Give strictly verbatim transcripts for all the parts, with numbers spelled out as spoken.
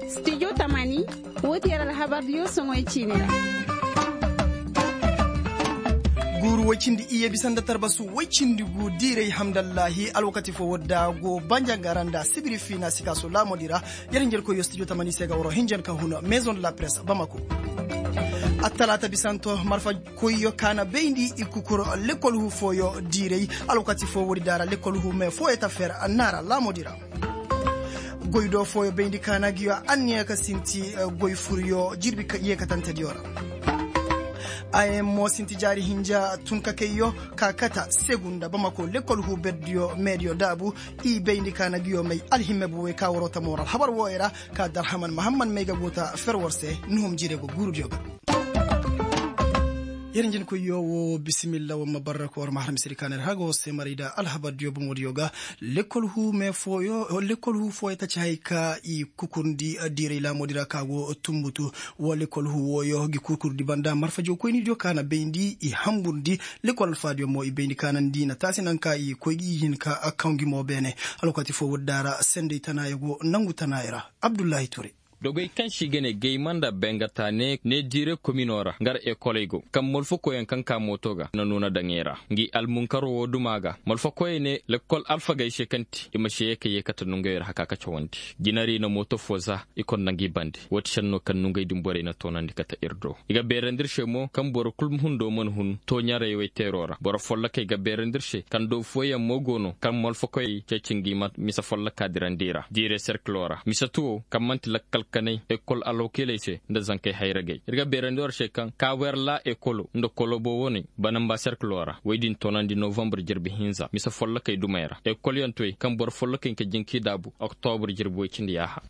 Studio tamani, woo ti yer alhabardiyo soŋoy ciini ra. Guuru woy cindi iyye bisa nda tarbasu woy cindi gu diiray hamdallahi alwakati foo wadda go banjanga ra nda sibiri fiina sikaaso laamoodi ra. Yer hinjankoyyo studio tamani se ga waroo hinjan ka hun maison de la presse bamako. Attalaata bisanto marfa koyyo ka na bayndi i kukur lekkol huu fooyo diiray. Alwakati foo woodi daara lekkol huu mee fooyo ta fer naara laamoodi ra. Goy do fooyo bayndi ka na ngiyo anniya ka sinti goy furyo jirbi yeekatantediyo ra. Ayen mo sinti jaari hinja tun ka kayyo ka kata segu nda bamako lekkol huu berdiyo meediyo daabu. I bayndi ka na ngiyo may alhimme bu wey ka waroo ta moral habar wooyo ra. Ka darhaman mahammad may ga go ta fer war se nuhum jire go guurudiyo ga. Yer njinkoyyo woo bisimilla war ma barra ka war ma har misedi ka na ir har ga war se maray da alhabardiyo bomodiyo ga. Lekkol huu mee fooyo lekkol huu fooyo ta ci hay ka i kukurndi diiray laamoodi ra ka go tumbutu. Woo lekkol huu wooyo ngi kukurndi banda marfa jawkoynidiyo ka na bayndi i hamburndi. Lekkol alfaadiyo mo i bayndi ka na ndi na taasi naŋ ka i koy gi i hin ka kaw ngi mo beene. Alwakati foo woodi daara senday tanaaya go nangu tanaaya ra. Abdullahi ture. Dogey kaŋ se i ga ne gayma nda bengata ne diire kominoo ra ngar ekoley go kaŋ molfokoyaŋ kaŋ ka mooto ga na nuuna daŋey ra. Ngi almunkaro woo dumaa ga molfokoyey ne lekkol alfagey se kaŋ ti i ma se ye ka ye kate nongey ra haka ka cawandi. Jinari na mooto foo za i konda ngi bande. Woo ti šennoo kaŋ nongey din borey na toonandi kate ir do. I ga beerandi ir se mo kaŋ boro kul hundo mana hun tooɲaray woy teeroo ra boro follokey ga beerandi ir se kaŋ doo fooyaŋ mo go no kaŋ molfokoyey ceeci ngi ma mise folloka dirandi i ra diire serkiloo ra mise tuwo kaŋ man'ti lakkal kanay ekol alwakiiley se nda zankey hayragey ir ga beerandi war se kaŋ kaawer laa ekolo nda kolobo woney banamba serkiloo ra woy din toonandi novambre jirbi hinza mise follokey dumey ra ekolyantoy kaŋ boro follokey nka jinki daabu oktobre jirbi woy cindi yaaha.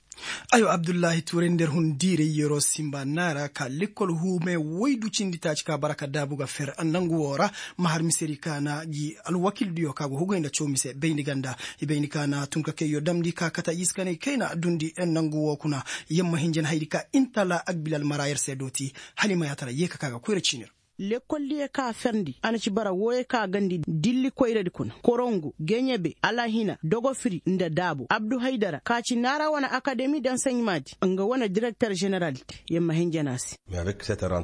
Aywa abdullahi tuuray nda ir hun diiray yeroo simba naara ka lekkol huumey woy du cindi taaci ka bara ka daabu ga fer nangu woo ra. Ma har misedi ka na gi alwakildiyo ka go hugay nda caw mise bayndi ganda i bayndi ka na tun ka kayyo damndi ka kata iskaney kayna dundi nangu woo kuna. Yamma hinjan haydi ka intala agbilal mara yer se dooti. Hala i ma yaatara yee ka ka ga koyra ciini ra. Lekkoldiyo ka ferndi a na ci bara wooyo ka gandi dilli koyradi kuna korongo geɲebe alahina dogofiri nda daabo abdu haydara ka ci naara wane akademi dansaɲimaadi nga wane direkter ženeraldi. Yamma hinjana se.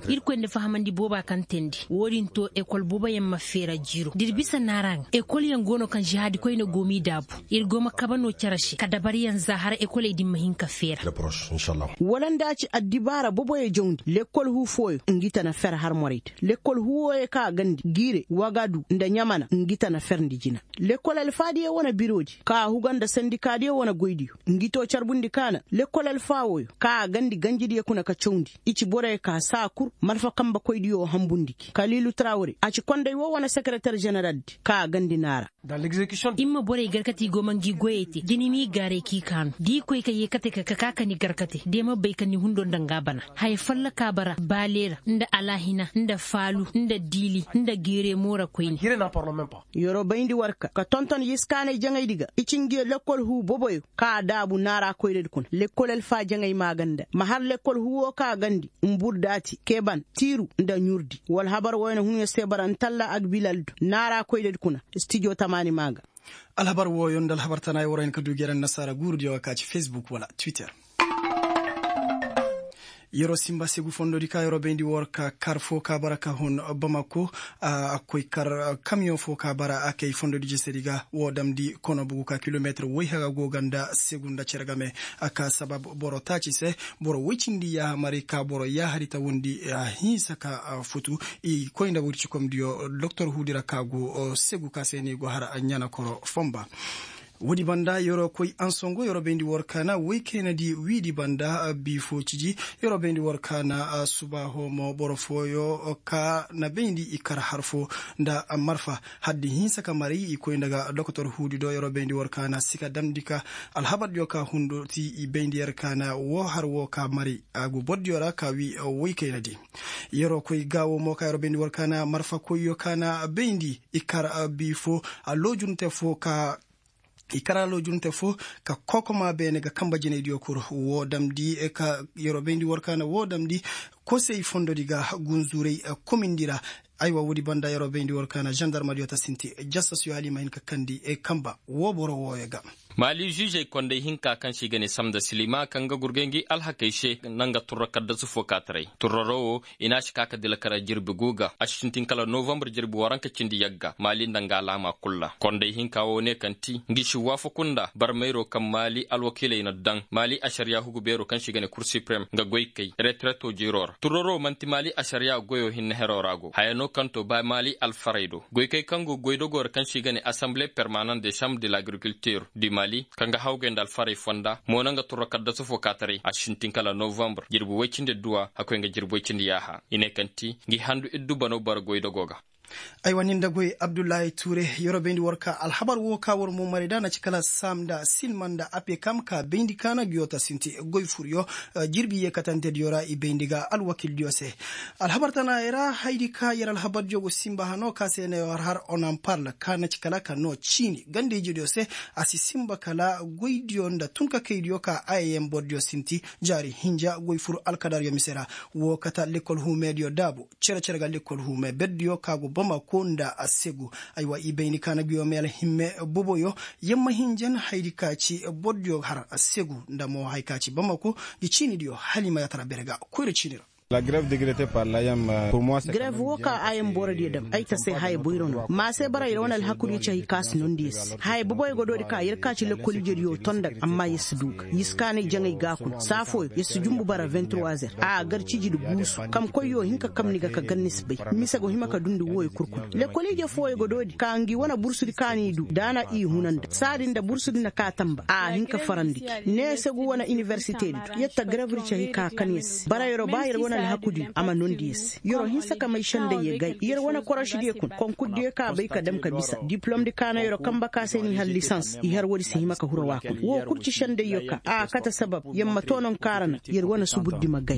Irkoy nda fahamandi booba kaŋ teendi woodin to ekol booboyaŋ ma feera jiiro da ir bisa naara ŋa ekolyaŋ go no kaŋ žahaadi koyne go m'i daabu. Ir go ma kabe no cere se ka dabaryaŋ za har ekoley din ma hin ka feera. Wala nda a ci addibaara boboyo jawndi lekkol huu fooyo ngi ta na fer har morey da lekkol huu wooyo kaŋ a gandi giire wagadu nda ɲamana ngi ta na ferndi jina. Lekkol alfaadiyo wane biroodi kaŋ a huga nda sandikaadiyo wane goydiyo ngi to carbundi kaana lekkol alfaa wooyo kaŋ a gandi ganjidiyo kuna ka cawndi. I ci boroyo ka saa kul malfa kambekoydiyo hambundi gi kaliilu tarawre a ci konday woo wane sekereter ženeraldi kaŋ a gandi naara. Imma borey garkati go ma ngi goyey te jini m'i gaaray k'i kaanu da i koy ka yee kate ka ka ka ni garkate da i ma bay ka ni hundo nda nga bana. Haya folloka bara baaleera nda alahina nda faalu nda diili nda geeremo ra koyne. Yeroo bayndi war ka ka tonton yiskaanay jaŋaydi ga i ci ngiyo lekkol huu boboyo kaŋ a daabu naara koyradi kuna lekkol alfaa jaŋay maaganda ma har lekkol huuwoo kaŋ a gandi mbur daati keban tiiru nda ɲurdi wala habar wooyo na hunyo se bara ntalla agbilaldo naara koyradi kuna. Stijo tamaani maa ga. Alhabar wooyo nda alhabar tanaaya war hin ka du geren nasaara guurudiyo ga ka ci fesbuk wala twitter. Yeroo simba segu fondodi ka yeroo bayndi war ka kar foo ka bara ka hun bamako. A koy kar kamiyoŋ foo ka bara a kay fondodi jesedi ga woo damndi kono bugu ka kilometir woy haga go ga nda segu nda cere game. A ka sabab boro taaci se boro woy cindi yaaha maray ka boro yaahari ta wondi. Hinsa ka futu i koy nda wurci komdiyo doktor huudi ra ka go segu ka se ni go har ɲana koro fonba. Woodi banda yeroo koy ansongo yeroo bayndi war kaana woy kaynadi wiidi banda bii foo ciji. Yeroo bayndi war kaana subaaho mo boro fooyo ka na bayndi i kar har foo nda marfa haddi hinsa ka maray i koy nda ga dokotor huudi do yeroo bayndi war kaana si ka damndi ka alhabardiyo ka hundo ti i bayndi yer kaana woo har woo ka maray a go bordiyo ra ka wii woy kaynadi. Yeroo koy gaawo mo ka yeroo bayndi war kaana marfa koyyo kaana bayndi i kar bii foo a loojunte foo ka i kar a loojunte foo ka kokomaa beene ga kanba jinaydiyo kul woo damndi ka yeroo bayndi war kaana woo damndi kosey fondodi ga gunzuuray komindi ra. Aywa woodi banda yeroo bayndi war kaana zandarmadiyo ta sinti. Jastas yo hala i ma hin ka kandi kamba woo boro wooyo ga. Maali ziizey kondey hinka kaŋ se i ga ne samda silima kaŋ ga gurgay ngi alhakey se nda nga turro kaddasu fo kaataray turroro wo i n'a si ka ka dilakara jirbi gu ga a si sintin kala novambar jirbi waranka cindi yagga maali nda nga alaama kul ra kondey hinka wo ne kaŋ ti ngi si waafaku nda barmayro kaŋ maali alwakiiley na daŋ maali ašariya hugu beero kaŋ se i ga ne kur siprem nga goykey retereto jiiro ra turroro man'ti maali ašariya goyo hinne hero ra go haya no kaŋ to ba maali alfarey do goykey kaŋ go goydogo ra kaŋ se i ga ne asamble permanent de chambre de l'agriculture du maali kaŋ ga hawgay nda alfarey fonda mo na nga turro kaddasu fo kaataray a sintin kala novambar jirbi woy cindi duwa hakkoy nga jirbi woy cindi yaaha i ne kaŋ ti ngi handu iddu bano bara goydogo ga. Aywa nin da goy abdullahi tuure, yeroo bayndi war ka alhabar woo ka war mo maray da na ci kala saam nda silma nda apekam ka bayndi kaana nguyo ta sinti goy furyo jirbi yeekatantediyo ra i bayndi ga alwakildiyo se. Alhabar tanaayey ra haydi ka yer alhabardiyo go sinba hano ka se ne war har onamparl ka na ci kala ka noo ciini ganda-ijediyo se. A si sinba kala goydiyo nda tunkakaydiyo ka ayeyen bordiyo sinti jaari hinja goy fur alkadaryo mise ra. Woo kata lekkol huumeediyo daabu cere-cere ga lekkol huumee berdiyo ka go bamako nda segu. Aywa i bayndi ka na nguyo mee alhimme boboyo, yamma hinjan haydi ka ci bordiyo har segu nda mo haya ka ci bamako. Ngi ciinidiyo hala i ma yaatara bere ga koyra ciini ra. Grev woo ka a yam borodiyo dam ay ta se haya boyro no ma se bara yer wane alhakudiyo ci hay ka si nondi yer se haya boboyo ga doodi ka yer ka ci lekkol ijediyo tonda ga amma yer si du ga yer si kaanay jaŋay ga kuna saa fooyo yer si jumbu bara vingt trois heures a gar ciji nda guusu kam koyyo hin ka kam ni ga ka gar ni si bay. Mise go hima ka dundi wooyo kul kuna lekkol ije fooyo ga doodi ka ngi wane bursudi ka ni du da a na i huna nda saadi nda bursudi na ka tamba a hin ka farandi gi ne segu wane iniversitedi du yer ta garabri cahi ka kan yer se bara yeroo ba yer wane alhakudiyo a ma nondi yer se yeroo hinsa ka may sendayyo gay yer wane korošidiyoo kuna konkurdiyo ka bay ka dam ka bisa diplomdi kaana yeroo kamba ka se n'i har lisans i har woodi si hima ka hura waa kuna woo kul ci sendayyo ka a kate sabab yer ma too nonkaara na yer wane suburdi ma gay.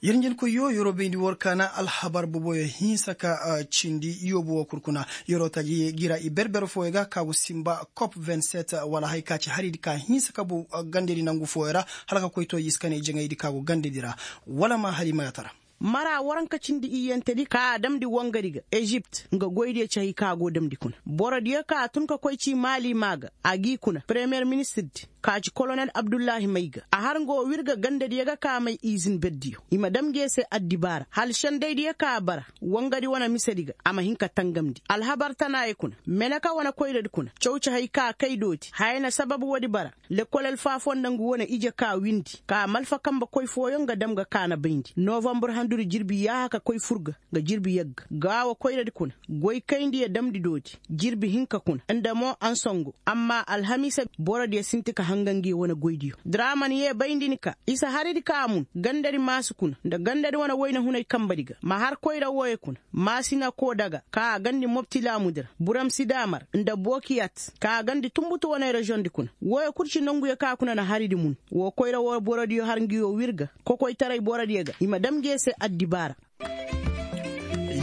Yer njenkoyyo yeroo bayndi war kaana alhabar boboyo hinsa ka cindi yoobu woo kul kuna yeroo taji gi ra i berber fooyo ga ka go sinba kop vingt sept wala haya ka ci haridi ka hinsa ka bu gandedi nangu fooyo ra hala ka koy too i si kanay jaŋaydi ka go gandedi ra. Wala ma hala i ma yaatara. Mara waranka cindi iyyantedi ka a damndi wangadi ga ezipt nga goydiyo cahi ka a go damndi kuna borodiyo ka a tun ka koy ci maali maa ga a g'i kuna premiyer ministirdi ka ci kolonel abdullahi may ga a har nga woo wir ga gandadiyo ga ka a may izin berdiyo i ma dam nge se addibaara hala sendaydiyo ka a bara wangadi wane misedi ga a ma hin ka tangamndi alhabar tanaayey kuna meneka wane koyradi kuna caw ci hay ka a kay dooti haya na sabab woodi bara lekkol alfaafoo nda ngu wane ije ka windi ka malfa kanbe koy fooyoŋ ga dam ga kaana bayndi novambur handudi jirbi yaaha ka koy fur ga nga jirbi yagga gaawo koyradi kuna goy kayndi ya damndi doodi jirbi hinka kuna nda mo ansongo amma alhamiisa borodiyo sinti ka hanga ngi wane goydiyo draman yee bayndi ni ka isa haridi ka a mun gandadi maasi kuna nda gandadi wane woyna hunay kanbedi ga ma har koyra wooyo kuna maasina koo daga ka a gandi mopti laamudi ra buram sidaamar nda bookiyat ka a gandi tunbutu wane reziyoŋdi kuna wooyo kul ci nonguyo ka kuna na haridi mun woo koyra woo borodiyo har ngi woo wir ga kokoytaray borodiyo ga i ma dam ngi se addibaara.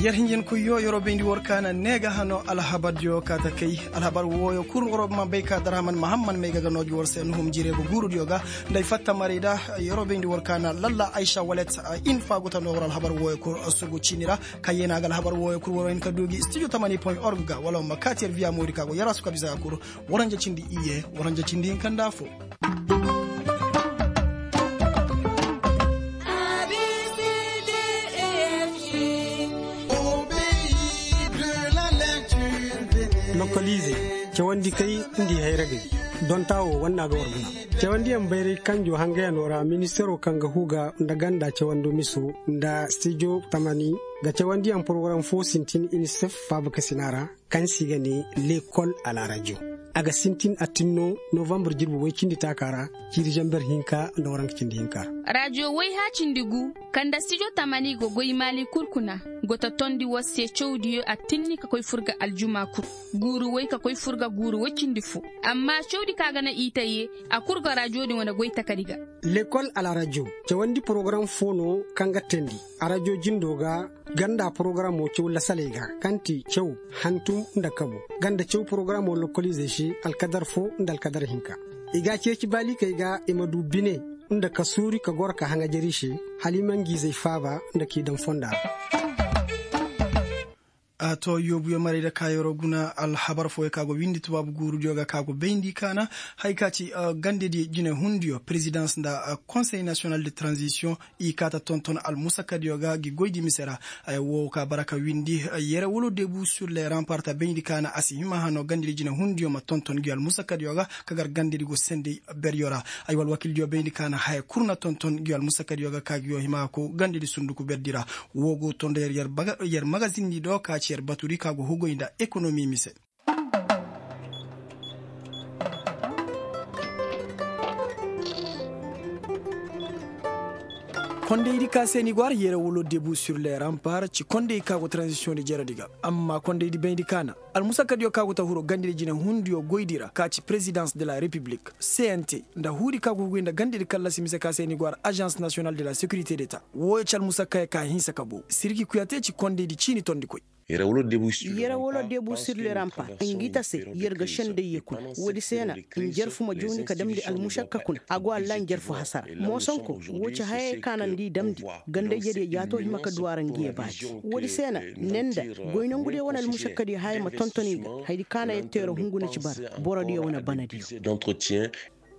Yer hinjin kuy yoo yeroo bayndi war kaana nee ga hanoo alhabardiyo kaa ta kay alhabar wooyo kul waroo ma bay ka daraaman mahamman may ga ga noo gi war se nuhum jireegu guurudiyo ga nda ay fatta maray da. Yeroo bayndi war kaana lalla aysa walet in faaguta noo war alhabar wooyo kul sugu ciini ra ka yeenaa ga alhabar wooyo kul waroo hin ka duu gi studio tamani point org ga wala war ma kaati yer viya moodi ka go yaraasu ka bisa ga kul. Waranja cindi iyye waranja cindi hinka nda afoo. Lokoliizey cawandi kay ngi hayragey dontaa woo wannaa ga war guna. Cawandiyaŋ bayray kanjoo hangayanoo ra ministaroo kaŋ ga huu ga nda ganda cawandoo misoo nda stijo tamani ga cawandiyaŋ porogaram foo sintin inisef faabakasinaa ra kaŋ se i ga nee lekol a la rajo. A ga sintin attinno novambar jirbi woy cindi taakaa ra ciiri zamber hinka nda waranka cindi hinka ra. Rajo woy hã cindi gu kaŋ nda stijo tamani go goy maali kul kuna go ta tondi war se cawdiyo attinni ka koy fur ga aljuma kul guuru woy ka koy fur ga guuru woy cindi foo. Amma cawdi kaŋ a ga naŋ i ta yee a kul ga rajo din wane goy takadi ga. Lekol a la rajo cawandi porogaram foo no kaŋ ga teendi a rajo jindoo ga. Ganda porogaramoo caw lasaley ga kaŋ ti caw hantum nda kabu ganda caw porogaramoo lokoliizey se alkadar foo nda alkadar hinka. I ga a ceeci baalikey ga i ma du bine. Nda ka suuri ka goro ka haŋajari se, hala i ma ngi izey faaba nda k'i daŋ fonda ra. A to yoobuyo maray da ka yeroo guna alhabar fooyo ka go windi tubaabu guurudiyo ga ka go bayndi kaana, haya ka ci gandedi jinehundiyo presidence nda konsey nasiyonal de tranzisiyoŋ, i kaata tonton almusakadiyo ga gi goydi mise ra. Ay woo ka bara ka windi, yere wolo debu sur le rampar ta bayndi kaana a si hima hano gandedi jinehundiyo ma tonton gi almusakadiyo ga, ka gar gandedi go sendey beryo ra. Ay wala wakildiyo bayndi kaana haya kul na tonton gi almusakadiyo ga ka gi yo hima ko gandedi sunduku berdi ra. Woo go tondo yer yer magazindi do ka ci yer baturi ka go hugoy nda ekonomi mise. Kondaydi ka se ni go har yere wolo debu sur le rampar ci konday ka go tranzisiyoŋ di jeredi ga. Amma kondaydi bayndi kaana almusakadiyo ka go ta huro gandedi jinehundiyo goydi ra ka ci presidence de la republik, cnt, nda huudi ka go huguy nda gandedi kallasi mise ka se ni go har agence national de la securité d'état. Wooyo ci almusakayo ka hinsa ka bow sirgi kuyate ci kondaydi ciini tondikoy. Yere wolo debu sur le rampa ngi ta se yer ga sendey ye kuna. Woodi se na njarfu ma jawndi ka damndi almušakka kuna a go alla njarfu hasara. Moosonko woo ci hayey ka na nda i damndi ganda-ijediyo jaato hima ka du a ra ngi ye baati. Woodi se na ne nda goy nongudiyo wane almušakkadiyo hayey ma tonton i ga. Hayadi ka na yette yer hungu na ci bara borodiyo wane banadiyo.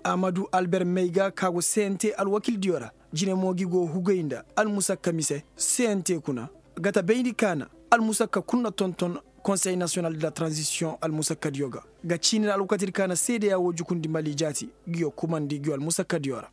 Amadu alber mayga ka go cnt alwakildiyo ra. Jine mo gi go hugay nda almusakka mise cnt kuna ga ta bayndi kaana. Almusakka kul na tonton konsey nasiyonal de la transisiyoŋ almusakkadiyo ga ga ciini ra alwakatidi kaana seedeya woo jukundi mali jaati. Ngiyo kumandi ngiyo almusakkadiyo ra.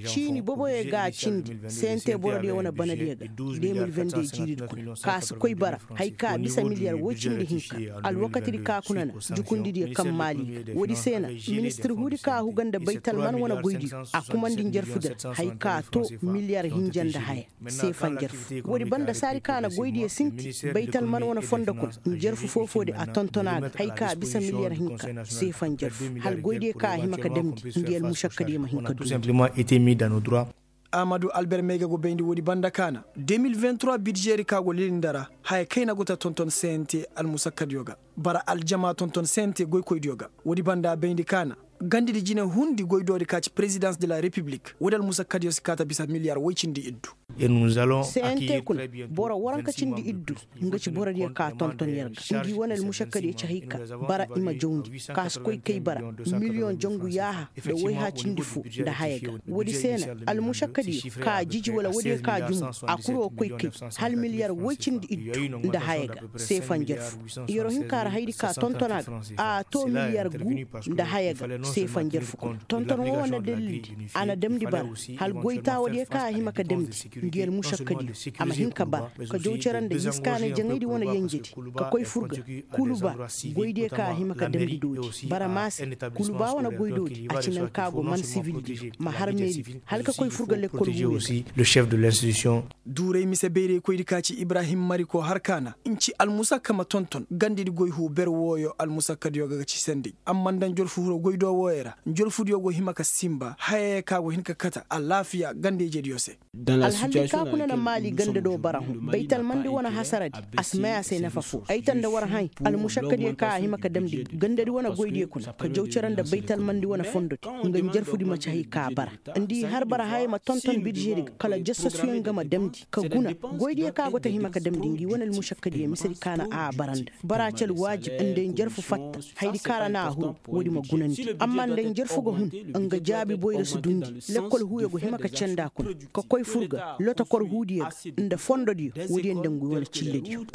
Ciini boboyo ga a cindi cnt borodiyo wane banadiyo ga de mil vende jiiridi kuna ka si koy bara haya ka bisa miliyar woy cindi hinka. Alwakatidi ka kuna na jukundidiyo kaŋ maali ga woodi se na ministir huudi ka huga nda baytalman wane goydiyo a kumandi njarfudi ra haya ka to miliyar hinja nda haya. Seefa njarfu woodi banda saadi ka na goydiyo sinti baytalman wane fondo kuna njarfu foo-foodi a tonton a ga haya ka bisa miliyar hinka. Seefa njarfu hala goydiyo ka a hima ka damndi ngi almušakkadiyo ma hin ka duundi. Amadu alber mayga go bayndi woodi banda kaana de mil vingt trois bidžeeri ka go lilinda ra haya kayna go ta tonton cnt almusakkadiyo ga. Bara aljama tonton cnt goykoydiyo ga woodi banda bayndi kaana gandidi jine hundi goydoodi ka ci prezidans de la repiblik woodi almusakkadiyo si kaa ta bisa miliyar woy cindi iddu. Cnt kuna boro waranka cindi iddu nga ci borodiyo ka tonton yer ga ngi wane almušakkadiyo ci hay ka bara i ma jawndi ka si koy kay bara miliyoŋ jangu yaaha nda wayha cindi fo nda haya ga. Woodi se na almušakkadiyo ka jiji wala woodiyo ka jumu a kul wo koy kay hala miliyar woy cindi iddu nda haya ga. Seefa njarfu yeroo hinka ra hayadi ka tonton a ga a to miliyar gu nda haya ga. Seefa njarfu kuna tonton woo wane dalildi a na damndi bara hala goy taawadiyo ka a hima ka damndi ngi almušakkadiyo a ma hin ka bara ka jaw cere nda hinsa kaanay jaŋaydi wane yenjedi ka koy fur ga kuluba goydiyo ka a hima ka damndi doodi bara maase kuluba wane goydoodi a ci naŋ ka go man sivildiyo ma har meeridi hala ka koy fur ga lekkol wuyoo ga. Duuray mise bayraykoydi ka ci ibrahim mariko har kaana nci almusakka ma tonton gandedi goy huu ber wooyo almusakkadiyo ga ga ci senday amma nda njorfu hiro goydoo wooyo ra njorfudiyo go hima ka sinba hayayey ka go hin ka kata alaafiya ganda-ijediyo se. Alhalli ka kuna na maali ganda do bara hõ baytalmandi wane hasaradi a si may a se nafa foo ay ta nda war hãy almušakkadiyo ka a hima ka damndi gandadi wane goydiyo kuna ka jaw cere nda baytalmandi wane fondodi nga njarfudi ma ci hay ka bara nda i har bara hayey ma tonton bidžedi ga kala jasasuyaŋ ga ma damndi ka guna goydiyo ka go ta hima ka damndi ngi wane almušakkadiyo misedi ka na a bara nda bara ci alwaajib nda njarfu fatta hayadi ka ra na a huru woodi ma gunandi amma nda njarfu ga hun nga jaabi boyra si dundi lekkol huuyo go hima ka canda kuna ka koy fur ga lotokor huudiyo ga nda fondodiyo woodiyo nda ngu wane cillediyo.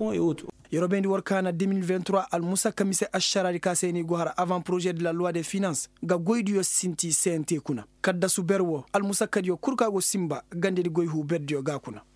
Yeroo bayndi war kaana de mil vingt trois almusakka mise ašaraadi ka se ni go har avant prožer de la loi de finance ga goydiyo sinti cnt kuna kaddasu ber woo almusakkadiyo kul ka go sinba gandedi goy huu berdiyo ga kuna.